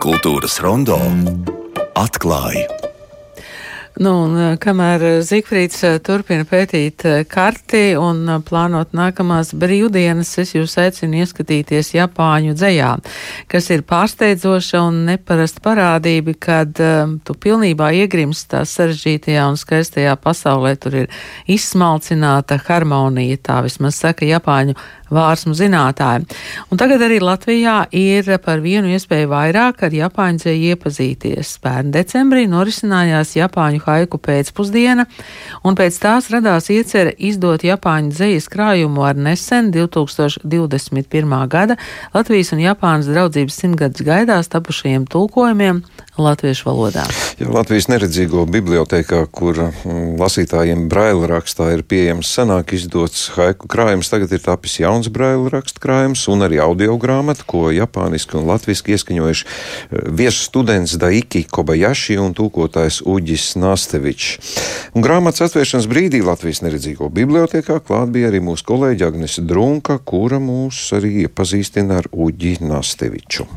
Kultūras rondo atklāja. Kamēr Zigfrīds turpina pētīt karti un plānot nākamās brīvdienas, es jūs aicinu ieskatīties Japāņu dzejā, kas ir pārsteidzoša un neparasta parādība, kad tu pilnībā iegrimst tā sarežģītajā un skaistajā pasaulē. Tur ir izsmalcināta harmonija, tā vismaz saka Japāņu vārsmu zinātāji. Un tagad arī Latvijā ir par vienu iespēju vairāk ar Japāņu dzeju iepazīties. Pērn decembrī norisinājās Japāņu haiku pēcpusdiena, un pēc tās radās iecerē izdot Japāņu dzejas krājumu ar nesen 2021. gada Latvijas un Japānas draudzības 100-gadus gaidās tapušajiem tulkojumiem latviešu valodā. Latvijas neredzīgo bibliotēkā, kur lasītājiem braila rakstā ir pieejams senāk izdots haiku krājums, tagad ir tapis jauns braila raksta krājums un arī audio grāmata, ko japāniski un latviski ieskaņojuši viesu students Daiki Kobayashi un tulkotājs Uģis Nastevičs. Un grāmatas atvēršanas brīdī Latvijas neredzīgo bibliotēkā klāt bija arī mūsu kolēģi Agnese Drunka, kura mūs arī iepazīstina ar Uģi Nasteviču.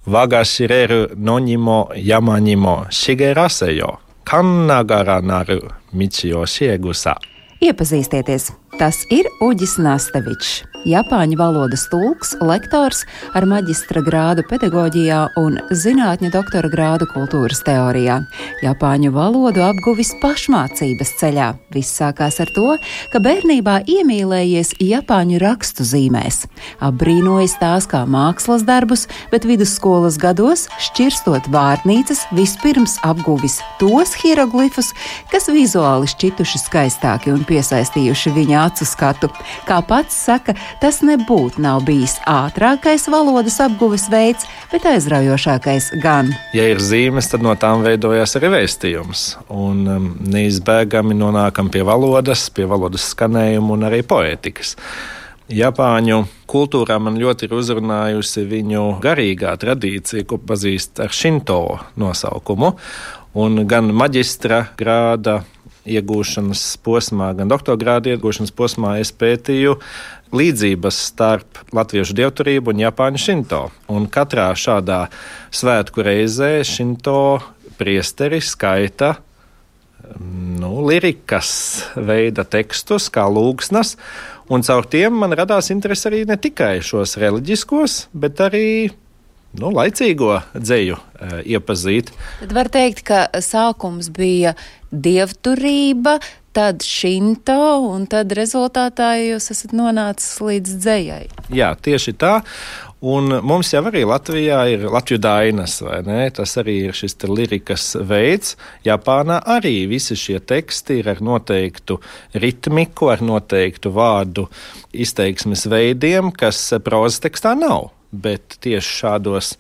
Wagashireru nonimo yamanimo shigerasejo, kannagara naru michi o shiegusa. Iepazīstieties, tas ir Uģis Nastevičs, Japāņu valodas tulks, lektors ar maģistra grādu pedagoģijā un zinātņu doktora grādu kultūras teorijā. Japāņu valodu apguvis pašmācības ceļā. Viss sākās ar to, ka bērnībā iemīlējies Japāņu rakstu zīmēs. Apbrīnojis tās kā mākslas darbus, bet vidusskolas gados, šķirstot vārnīcas, vispirms apguvis tos hieroglifus, kas vizuāli šķituši skaistāki un piesaistījuši viņa acu skatu. Kā pats saka, tas nebūtu nav bijis ātrākais valodas apguves veids, bet aizraujošākais gan. Ja ir zīmes, tad no tām veidojās arī vēstījums. Un neizbēgami nonākam pie valodas skanējuma un arī poētikas. Japāņu kultūrā man ļoti ir uzrunājusi viņu garīgā tradīcija, ko pazīst ar Shinto nosaukumu. Un gan maģistra grāda iegūšanas posmā, gan doktorgrāda iegūšanas posmā es pētīju līdzības starp latviešu dievturību un Japāņu Shinto. Un katrā šādā svētku reizē Shinto priesteri skaita lirikas veida tekstus, kā lūgsnas, un caur tiem man radās interesi arī ne tikai šos reliģiskos, bet arī laicīgo dzeju iepazīt. Tad var teikt, ka sākums bija dievturība, tad Shinto, un tad rezultātā jūs esat nonācis līdz dzejai. Jā, tieši tā. Un mums jau arī Latvijā ir Latviju dainas, vai ne? Tas arī ir šis lirikas veids. Japānā arī visi šie teksti ir ar noteiktu ritmiku, ar noteiktu vārdu izteiksmes veidiem, kas prozas tekstā nav. Bet tieši šādos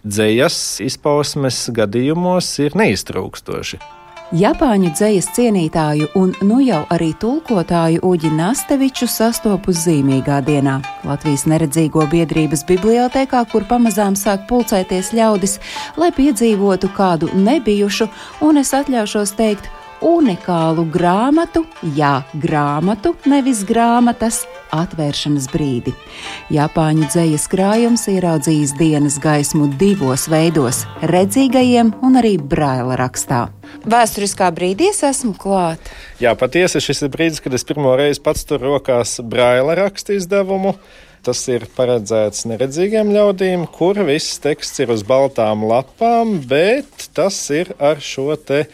dzejas izpausmes gadījumos ir neiztrūkstoši. Japāņu dzejas cienītāju un jau arī tulkotāju Uģi Nasteviču sastopu zīmīgā dienā Latvijas neredzīgo biedrības bibliotēkā, kur pamazām sāk pulcēties ļaudis, lai piedzīvotu kādu nebijušu, un es atļaušos teikt, unikālu grāmatu, grāmatu, nevis grāmatas, atvēršanas brīdi. Japāņu dzejas krājums ieraudzījis dienas gaismu divos veidos - redzīgajiem un arī braila rakstā. Vēsturiskā brīdī es esmu klāt. Jā, patiesi šis ir brīdis, kad es pirmo reizi pats tur rokās braila raksta izdevumu. Tas ir paredzēts neredzīgiem ļaudīm, kur viss teksts ir uz baltām lapām, bet tas ir ar šo te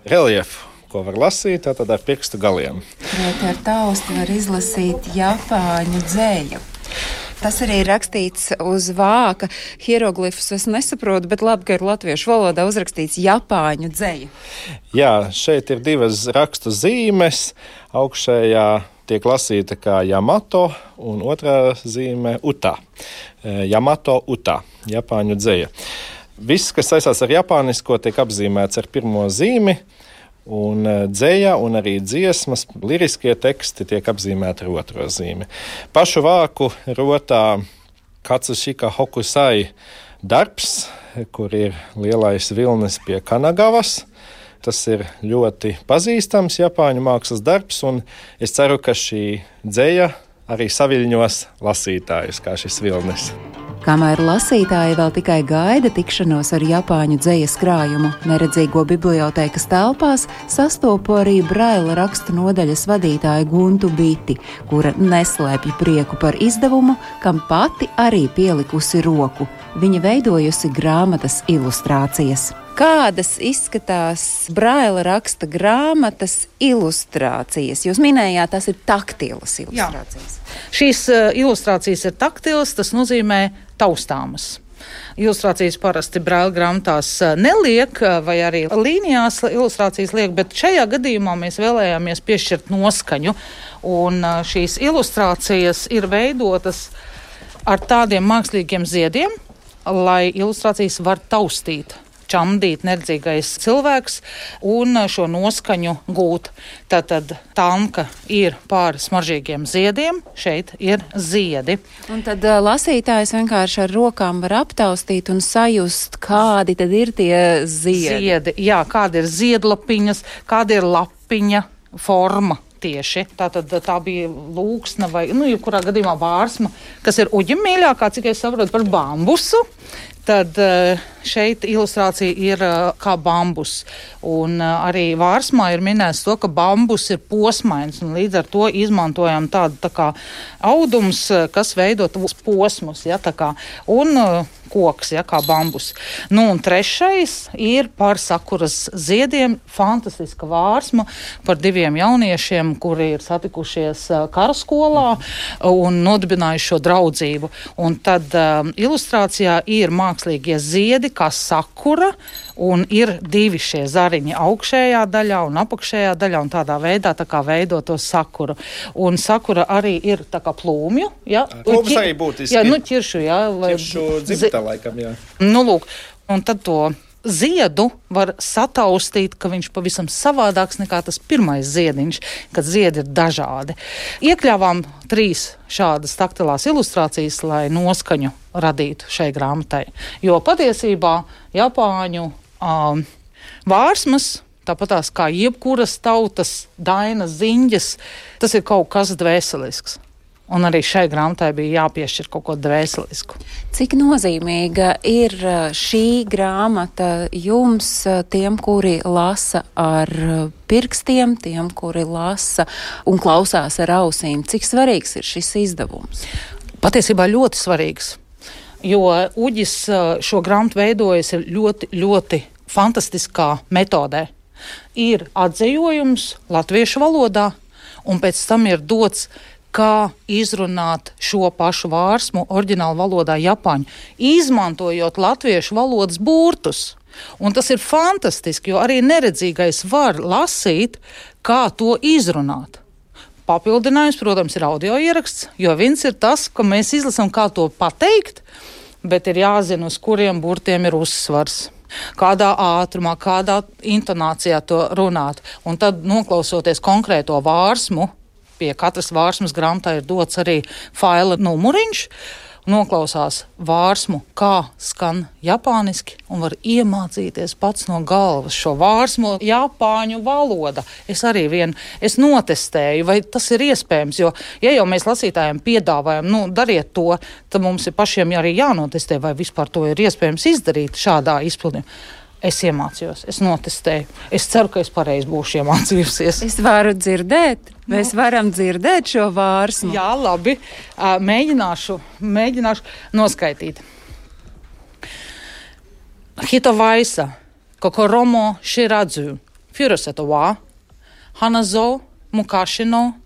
reliefu, ko var lasīt, tātad ar pirkstu galiem. Ar taustu var izlasīt Japāņu dzeju. Tas arī ir rakstīts uz vāka. Hieroglifus es nesaprotu, bet labi, ka ir latviešu valodā uzrakstīts Japāņu dzeja. Jā, šeit ir divas rakstu zīmes. Augšējā tiek lasīta kā Yamato un otrā zīme Uta. Yamato Uta, Japāņu dzeja. Viss, kas saistās ar japānisko, tiek apzīmēts ar pirmo zīmi. Un dzeja un arī dziesmas, liriskie teksti tiek apzīmēti ar otro zīmi. Pašu vāku rotā Katsushika Hokusai darbs, kur ir lielais vilnis pie Kanagavas. Tas ir ļoti pazīstams japāņu mākslas darbs, un es ceru, ka šī dzeja arī saviļņos lasītājus, kā šis vilnis. Kamēr lasītāji vēl tikai gaida tikšanos ar Japāņu dzejas krājumu neredzīgo bibliotēkas telpās, sastopu arī Braila rakstu nodaļas vadītāju Guntu Biti, kura neslēpj prieku par izdevumu, kam pati arī pielikusi roku. Viņa veidojusi grāmatas ilustrācijas. Kādas izskatās Braila raksta grāmatas ilustrācijas? Jūs minējāt, tās ir taktīlas ilustrācijas. Jā. Šīs ilustrācijas ir taktīlas, tas nozīmē taustāmas. Ilustrācijas parasti Braila grāmatās neliek, vai arī līnijās ilustrācijas liek, bet šajā gadījumā mēs vēlējāmies piešķirt noskaņu, un šīs ilustrācijas ir veidotas ar tādiem mākslīgiem ziediem, lai ilustrācijas var taustīt, čamdīt neredzīgais cilvēks un šo noskaņu gūt. Tātad tanka ir pār smaržīgiem ziediem, šeit ir ziedi. Un tad lasītājs vienkārši ar rokām var aptaustīt un sajust, kādi tad ir tie ziedi. Jā, kāda ir ziedlapiņas, kāda ir lapiņa forma. Tieši. Tātad tā bija lūksna vai, jebkurā gadījumā vārsma, kas ir uģim mīļākā, cik es saprotu, par bambusu. Tad šeit ilustrācija ir kā bambus. Un arī vārsmā ir minēts to, ka bambus ir posmains. Un līdz ar to izmantojam tādu tā kā audums, kas veido posmus. Ja, tā kā, un koks, ja, kā bambus. Un trešais ir par sakuras ziediem. Fantastiska vārsma par diviem jauniešiem, kuri ir satikušies karaskolā un nodibinājuši šo draudzību. Un tad ilustrācijā ir mākslīgie ziedi, kā sakura, un ir divi šie zariņi augšējā daļā un apakšējā daļā, un tādā veidā tā kā veido to sakuru. Un sakura arī ir tā kā plūmju. Ja? Plūms arī būtiski. Jā, ķiršu, jā. Ķiršu dzimta laikam, jā. Lūk, un tad to ziedu var sataustīt, ka viņš pavisam savādāks nekā tas pirmais ziediņš, kad ziedi ir dažādi. Iekļāvām 3 šādas taktilās ilustrācijas, lai noskaņu radītu šai grāmatai. Jo patiesībā Japāņu vārsmas, tāpatās kā jebkuras tautas dainas ziņģes, tas ir kaut kas dvēselisks. Un arī šai grāmatai bija jāpiešķir kaut ko dvēselisku. Cik nozīmīga ir šī grāmata jums, tiem, kuri lasa ar pirkstiem, tiem, kuri lasa un klausās ar ausīm? Cik svarīgs ir šis izdevums? Patiesībā ļoti svarīgs, jo Uģis šo grāmatu veidojas ļoti, ļoti fantastiskā metodē. Ir atzējojums latviešu valodā, un pēc tam ir dots, kā izrunāt šo pašu vārsmu oriģinālu valodā japāņu, izmantojot latviešu valodas burtus. Un tas ir fantastiski, jo arī neredzīgais var lasīt, kā to izrunāt. Papildinājums, protams, ir audio ieraksts, jo viens ir tas, ka mēs izlasām, kā to pateikt, bet ir jāzina, uz kuriem burtiem ir uzsvars. Kādā ātrumā, kādā intonācijā to runāt. Un tad, noklausoties konkrēto vārsmu, pie katras vārsmas grāmatā ir dots arī faila numuriņš, noklausās vārsmu, kā skan japāniski, un var iemācīties pats no galvas šo vārsmu japāņu valoda. Es notestēju, vai tas ir iespējams, jo, ja jau mēs lasītājiem piedāvājam, dariet to, tad mums ir pašiem arī jānotestē, vai vispār to ir iespējams izdarīt šādā izpildījumā. Es iemācījos, es notestēju. Es ceru, ka es pareizi būšu iemācījusies. Es varu dzirdēt, mēs varam dzirdēt šo vārsmu. Jā, labi. Mēģināšu noskaitīt. Hitovaisa, kokoromo shiradzu, furuseto wa, hanazo, mukashino,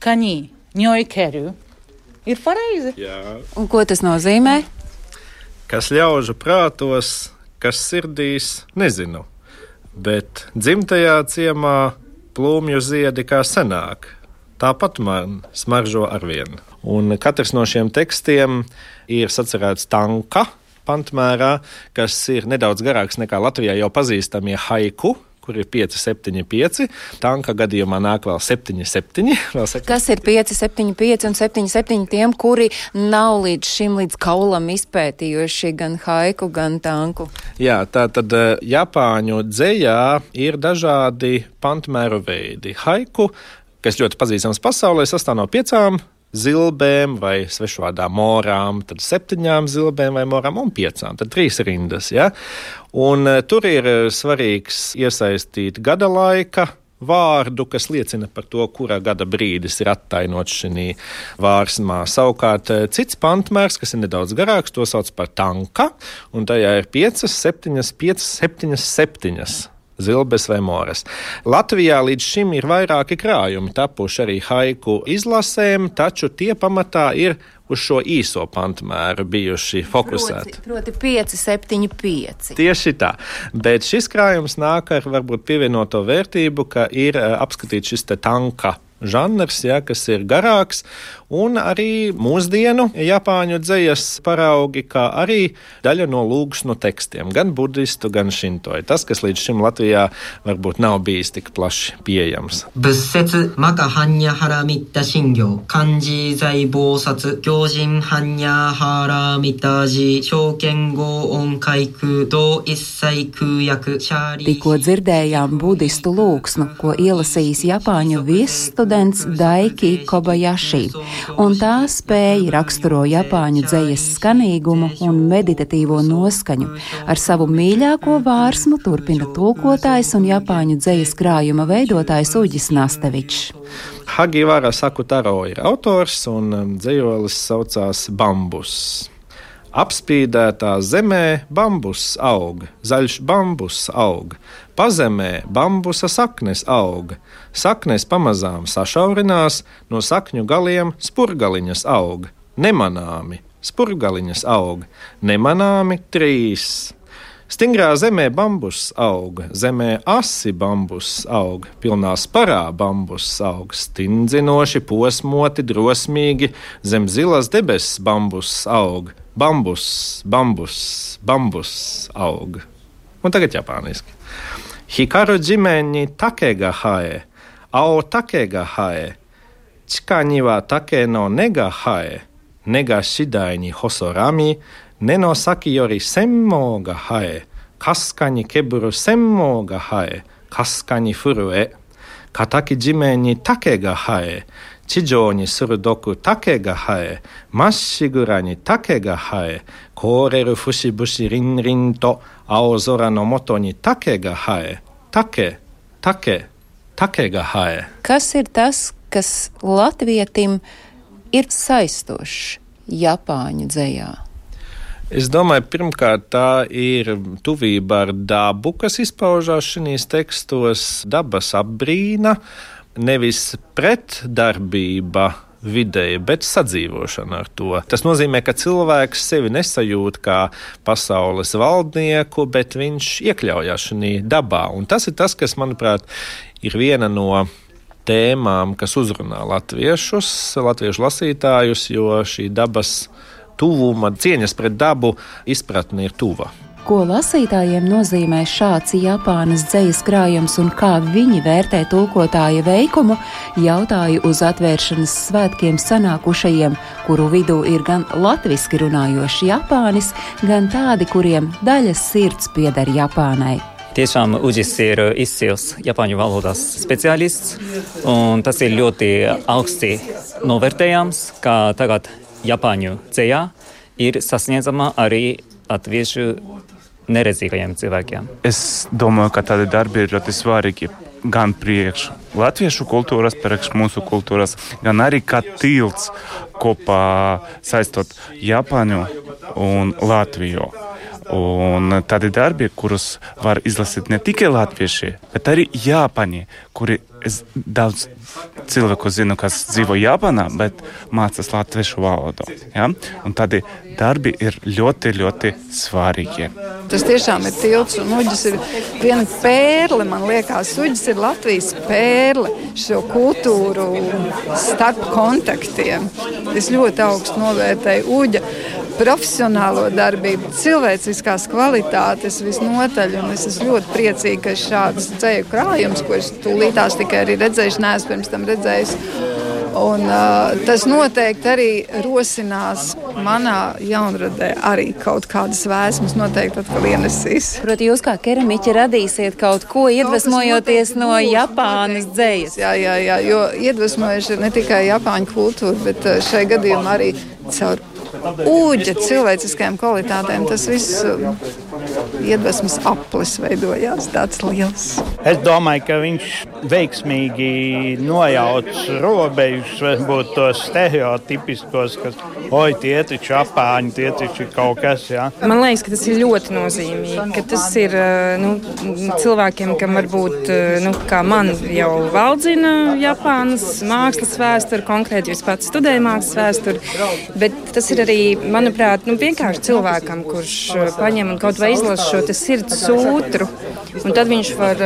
kaņī, ņoikeru. Ir pareizi? Jā. Un ko tas nozīmē? Kas ļaužu prātos, kas sirdīs, nezinu, bet dzimtajā ciemā plūmju ziedi kā senāk, tāpat man smaržo arvien. Un katrs no šiem tekstiem ir sacerēts tanka pantmērā, kas ir nedaudz garāks nekā Latvijā jau pazīstamie haiku, kur ir 5, 7, 5. Tanka gadījumā nāk vēl 7, 7. Kas ir 5, 7, 5 un 7, 7 tiem, kuri nav līdz kaulam izpētījuši gan haiku, gan tanku? Jā, tātad Japāņu dzejā ir dažādi pantmēru veidi. Haiku, kas ļoti pazīstams pasaulē, sastāv no 5 zilbēm vai svešvārdā morām, tad 7 zilbēm vai morām un 5, tad 3 rindas. Ja? Un tur ir svarīgs iesaistīt gada laika vārdu, kas liecina par to, kurā gada brīdis ir attainots šī vārsmā. Savukārt cits pantmērs, kas ir nedaudz garāks, to sauc par tanka, un tajā ir 5, 7 zilbes vai moras. Latvijā līdz šim ir vairāki krājumi tapuši arī haiku izlasēm, taču tie pamatā ir uz šo īso pantmēru bijuši fokusēti. Proti 5, 7, 5. Tieši tā, bet šis krājums nāk ar varbūt pievienoto vērtību, ka ir apskatīts šis te tanka žanrs, ja, kas ir garāks, un arī mūsdienu japāņu dzejas paraugi, kā arī daļa no lūgsnu tekstiem, gan budistu, gan šintoju. Tas, kas līdz šim Latvijā varbūt nav bijis tik plaši pieejams. Bussetsu maka hanya hara mitta shingyo, kanji zai bōsatsu, gyōjin hanya hara mitta ji, shōken go on kaiku, do issai kūyaku, shāri. Tikko dzirdējām budistu lūgsnu, ko ielasījis japāņu viesstudents Daiki Kobayashi, un tā spēja raksturo japāņu dzejas skanīgumu un meditatīvo noskaņu. Ar savu mīļāko vārsmu turpina tulkotājs un japāņu dzejas krājuma veidotājs Uģis Nastevičs. Hagivara Sakutaro ir autors, un dzejolis saucās Bambus. Apspīdētā zemē bambus aug, zaļš bambus aug, pazemē bambusa saknes aug, saknes pamazām sašaurinās, no sakņu galiem spurgaliņas aug, nemanāmi spurgaliņas aug, nemanāmi 3. Stingrā zemē bambus aug, zemē asi bambus aug, pilnā sparā bambus aug, stindzinoši, posmoti, drosmīgi, zem zilas debesis bambus aug, bambus, bambus, bambus aug. Un tagad japāniski. Hikaru jimeni take ga hae, ao take ga hae, chika ni wa take no ne ga hae, ne ga shidai ni hosorami, ne no saki yori senmō ga hae, kasuka ni keburu senmō ga hae, kasuka ni furu e, kataki jimen ni take ga hae, chijō ni surudoku take ga hae, massshigura ni take ga hae, kōreru fushi bushi rin rin to, aozora no moto ni take ga hae, take, take, take ga hae. Kas ir tas, kas latvietim ir saistošs japāņu dzejā? Es domāju, pirmkārt, tā ir tuvība ar dabu, kas izpaužās šīs tekstos, dabas apbrīna, nevis pretdarbība videi, bet sadzīvošana ar to. Tas nozīmē, ka cilvēks sevi nesajūt kā pasaules valdnieku, bet viņš iekļaujās šajā dabā. Un tas ir tas, kas, manuprāt, ir viena no tēmām, kas uzrunā latviešu lasītājus, jo šī dabas tuvuma, cieņas pret dabu izpratne ir tuva. Ko lasītājiem nozīmē šāds Japānas dzejas krājums un kā viņi vērtē tulkotāja veikumu, jautāju uz atvēršanas svētkiem sanākušajiem, kuru vidū ir gan latviski runājošs Japānis, gan tādi, kuriem daļas sirds pieder Japānai. Tiešām Uģis ir izcils japāņu valodas speciālists, un tas ir ļoti augsti novērtējams, ka tagad japāņu dzejā ir sasniedzama arī latviešu neredzīgajiem cilvēkiem. Es domāju, ka tādi darbi ir ļoti svarīgi gan priekš latviešu kultūras, priekš mūsu kultūras, gan arī kā tilts kopā saistot Japāņu un Latviju. Un tādi darbi, kurus var izlasīt ne tikai latvieši, bet arī Japāņi, kuri es daudz cilvēku zinu, kas dzīvo Japānā, bet mācās latviešu valodu. Ja? Un tādi darbi ir ļoti, ļoti svarīgi. Tas tiešām ir tilts, un Uģis ir viena pērle, man liekas. Uģis ir Latvijas pērle šo kultūru starp kontaktiem. Es ļoti augstu novērtēju Uģa profesionālo darbību, cilvēciskās kvalitātes visnotaļ, un es esmu ļoti priecīga, ka šāds dzeju krājums, ko es tūlītās tikai arī redzējuši, neesmu pirms tam redzējis, Un tas noteikti arī rosinās manā jaunradē arī kaut kādas vēsmas noteikti atkal ienesīs. Proti, jūs kā keramiķi radīsiet kaut ko iedvesmojoties no Japānas dzejas. Jā, jo iedvesmojuši ir ne tikai Japāņu kultūra, bet šai gadījumā arī caur ūģa cilvēciskajām kvalitātēm. Tas viss iedvesmas aplis veidojās tāds liels. Es domāju, ka viņš veiksmīgi nojauc robežas, varbūt tos stereotipiskos, kas, tie taču Japāņi, tie taču kaut kas, jā. Man liekas, ka tas ir ļoti nozīmīgi, ka tas ir cilvēkiem, kam varbūt, kā man jau valdzina Japānas mākslas vēsturi, konkrēti jūs pats studēja mākslas vēsturi, bet tas ir arī, manuprāt, vienkārši cilvēkam, kurš paņem un kaut vai izlasa šo te sirds sūtru, un tad viņš var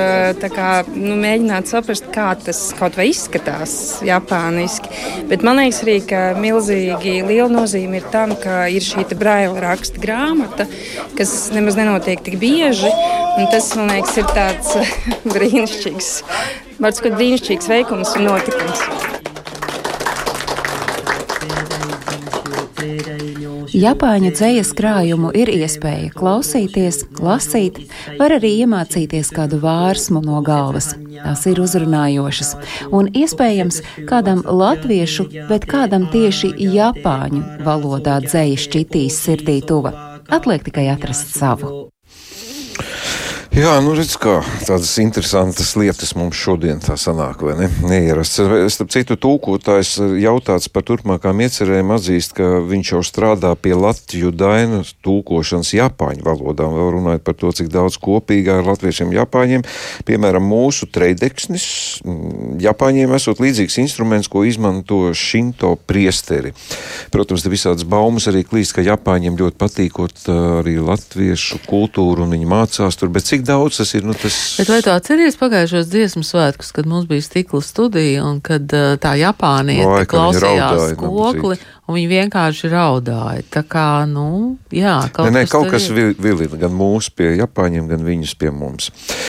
mēģināt saprast, kā tas kaut vai izskatās japāniski. Bet man liekas arī, ka milzīgi liela nozīme ir tam, ka ir šī Braila raksta grāmata, kas nemaz nenotiek tik bieži, un tas, man liekas, ir tāds brīnišķīgs veikums un notikums. Japāņu dzejas krājumu ir iespēja klausīties, lasīt, var arī iemācīties kādu vārsmu no galvas. Tās ir uzrunājošas un iespējams kādam latviešu, bet kādam tieši japāņu valodā dzeja šķitīs sirdī tuva. Atliek tikai atrast savu. Jā, redz, kā tādas interesantas lietas mums šodien tā sanāk, vai ne? Neierasts. Starp citu, tūkotājs jautāts par turpmākām iecerēm atzīst, ka viņš jau strādā pie Latviju dainu tūkošanas japāņu valodām. Vēl runājot par to, cik daudz kopīgā ar latviešiem japāņiem. Piemēram, mūsu treideksnis japāņiem esot līdzīgs instruments, ko izmanto šinto priesteri. Protams, te visādas baumas arī klīst, ka japāņiem ļoti patīkot arī latviešu kultūru un viņi mācās tur, bet cik daudz tas ir, tas... Bet vai tu atceries pagājušos dziesmu svētkus, kad mums bija stikla studija un kad tā Japāniete klausījās kokli un viņi vienkārši raudāja. Tā kā, jā, kaut kas vilina gan mūs pie Japāņiem, gan viņus pie mums.